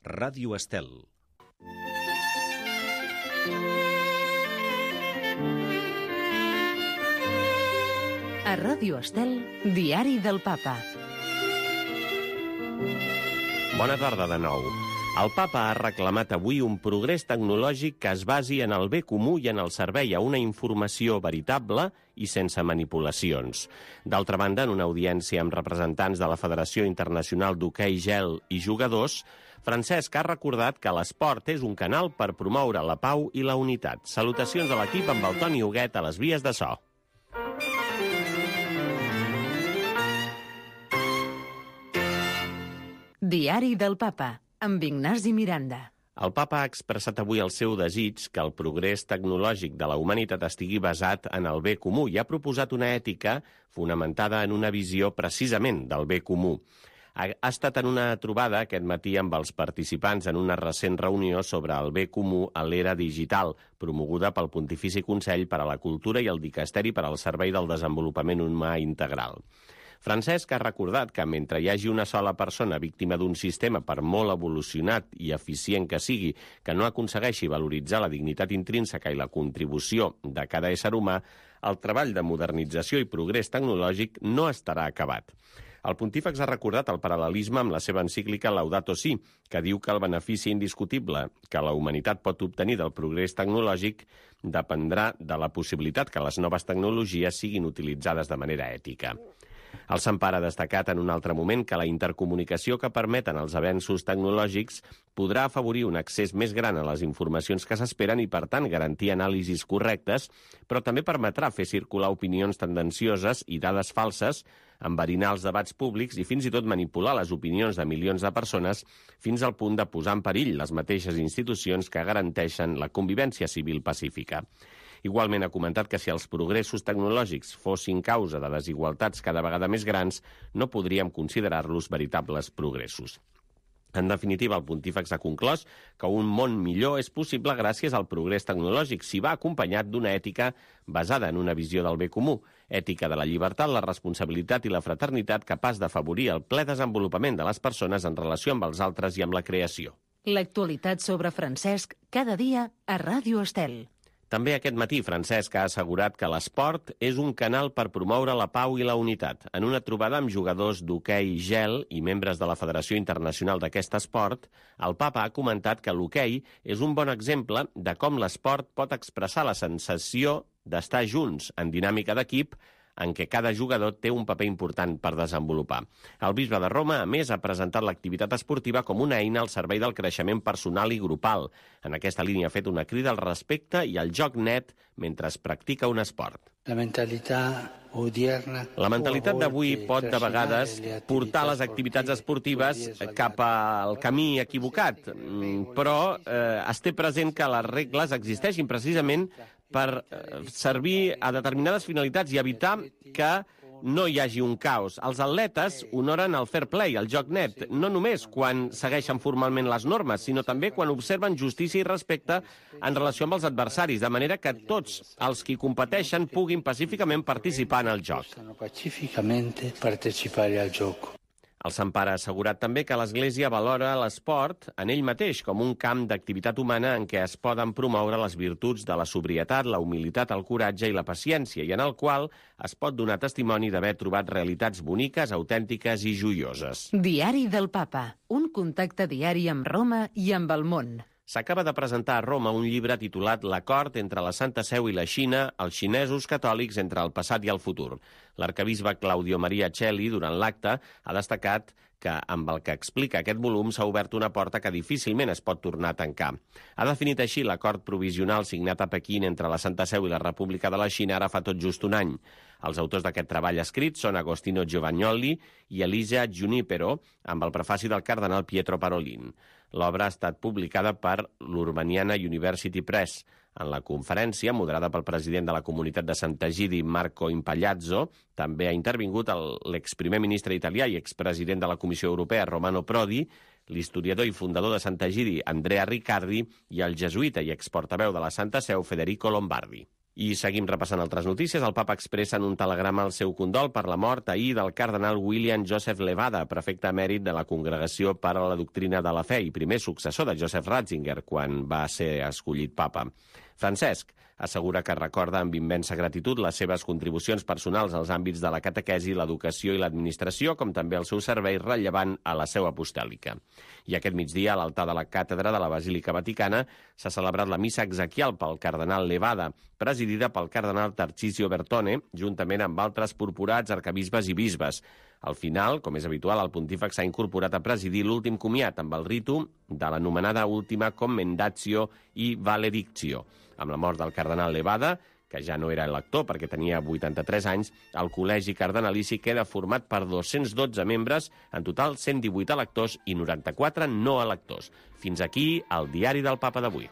Ràdio Estel. A Ràdio Estel, Diari del Papa. Bona tarda de nou. El Papa ha reclamat avui un progrés tecnològic que es basi en el bé comú i en el servei a una informació veritable i sense manipulacions. D'altra banda, en una audiència amb representants de la Federació Internacional d'Hoquei Gel i jugadors, Francesc ha recordat que l'esport és un canal per promoure la pau i la unitat. Salutacions a l'equip amb el Toni Huguet a les vies de so. Diari del Papa, amb Ignasi Miranda. El Papa ha expressat avui el seu desig que el progrés tecnològic de la humanitat estigui basat en el bé comú i ha proposat una ètica fonamentada en una visió precisament del bé comú. Ha estat en una trobada aquest matí amb els participants en una recent reunió sobre el bé comú a l'era digital, promoguda pel Pontifici Consell per a la Cultura i el Dicasteri per al Servei del Desenvolupament Humà Integral. Francesc ha recordat que mentre hi hagi una sola persona víctima d'un sistema, per molt evolucionat i eficient que sigui, que no aconsegueixi valoritzar la dignitat intrínseca i la contribució de cada ésser humà, el treball de modernització i progrés tecnològic no estarà acabat. El pontífex ha recordat el paral·lelisme amb la seva encíclica Laudato Si, que diu que el benefici indiscutible que la humanitat pot obtenir del progrés tecnològic dependrà de la possibilitat que les noves tecnologies siguin utilitzades de manera ètica. El Sant Pare ha destacat en un altre moment que la intercomunicació que permeten els avenços tecnològics podrà afavorir un accés més gran a les informacions que s'esperen i, per tant, garantir anàlisis correctes, però també permetrà fer circular opinions tendencioses i dades falses, enverinar els debats públics i fins i tot manipular les opinions de milions de persones fins al punt de posar en perill les mateixes institucions que garanteixen la convivència civil pacífica. Igualment ha comentat que si els progressos tecnològics fossin causa de desigualtats cada vegada més grans, no podríem considerar-los veritables progressos. En definitiva, el pontífex ha conclòs que un món millor és possible gràcies al progrés tecnològic si va acompanyat d'una ètica basada en una visió del bé comú, ètica de la llibertat, la responsabilitat i la fraternitat capaç d'afavorir el ple desenvolupament de les persones en relació amb els altres i amb la creació. L'actualitat sobre Francesc, cada dia a Ràdio Estel. També aquest matí Francesc ha assegurat que l'esport és un canal per promoure la pau i la unitat. En una trobada amb jugadors d'hoquei gel i membres de la Federació Internacional d'aquest esport, el Papa ha comentat que l'hoquei és un bon exemple de com l'esport pot expressar la sensació d'estar junts en dinàmica d'equip en què cada jugador té un paper important per desenvolupar. El bisbe de Roma, a més, ha presentat l'activitat esportiva com una eina al servei del creixement personal i grupal. En aquesta línia ha fet una crida al respecte i al joc net mentre es practica un esport. La mentalitat d'avui pot, de vegades, portar les activitats esportives cap al camí equivocat, però es té present que les regles existeixin precisament per servir a determinades finalitats i evitar que no hi hagi un caos. Els atletes honoren el fair play, el joc net, no només quan segueixen formalment les normes, sinó també quan observen justícia i respecte en relació amb els adversaris, de manera que tots els qui competeixen puguin pacíficament participar en el joc. El Sant Pare ha assegurat també que l'Església valora l'esport en ell mateix com un camp d'activitat humana en què es poden promoure les virtuts de la sobrietat, la humilitat, el coratge i la paciència, i en el qual es pot donar testimoni d'haver trobat realitats boniques, autèntiques i joioses. Diari del Papa, un contacte diari amb Roma i amb el món. S'acaba de presentar a Roma un llibre titulat L'acord entre la Santa Seu i la Xina, els xinesos catòlics entre el passat i el futur. L'arquebisbe Claudio Maria Celli, durant l'acte, ha destacat que amb el que explica aquest volum s'ha obert una porta que difícilment es pot tornar a tancar. Ha definit així l'acord provisional signat a Pequín entre la Santa Seu i la República de la Xina ara fa tot just un any. Els autors d'aquest treball escrit són Agostino Giovagnoli i Elisa Junipero, amb el prefaci del cardenal Pietro Parolin. L'obra ha estat publicada per l'Urbaniana University Press. En la conferència, moderada pel president de la Comunitat de Sant'Egidi, Marco Impagliazzo, també ha intervingut l'exprimer ministre italià i expresident de la Comissió Europea, Romano Prodi, l'historiador i fundador de Sant'Egidi, Andrea Riccardi, i el jesuïta i exportaveu de la Santa Seu, Federico Lombardi. I seguim repassant altres notícies. El papa expressa en un telegrama el seu condol per la mort ahir del cardenal William Joseph Levada, prefecte emèrit de la Congregació per a la Doctrina de la Fe i primer successor de Joseph Ratzinger quan va ser escollit papa. Francesc assegura que recorda amb immensa gratitud les seves contribucions personals als àmbits de la catequesi, l'educació i l'administració, com també el seu servei rellevant a la seu apostòlica. I aquest migdia, a l'altar de la càtedra de la Basílica Vaticana, s'ha celebrat la missa exequial pel cardenal Levada, presidida pel cardenal Tarcisio Bertone, juntament amb altres purpurats, arcabisbes i bisbes. Al final, com és habitual, el pontífex s'ha incorporat a presidir l'últim comiat amb el ritu de l'anomenada última commendatio i valedictio. Amb la mort del cardenal Levada, que ja no era elector perquè tenia 83 anys, el col·legi cardenalici queda format per 212 membres, en total 118 electors i 94 no electors. Fins aquí el diari del Papa d'avui.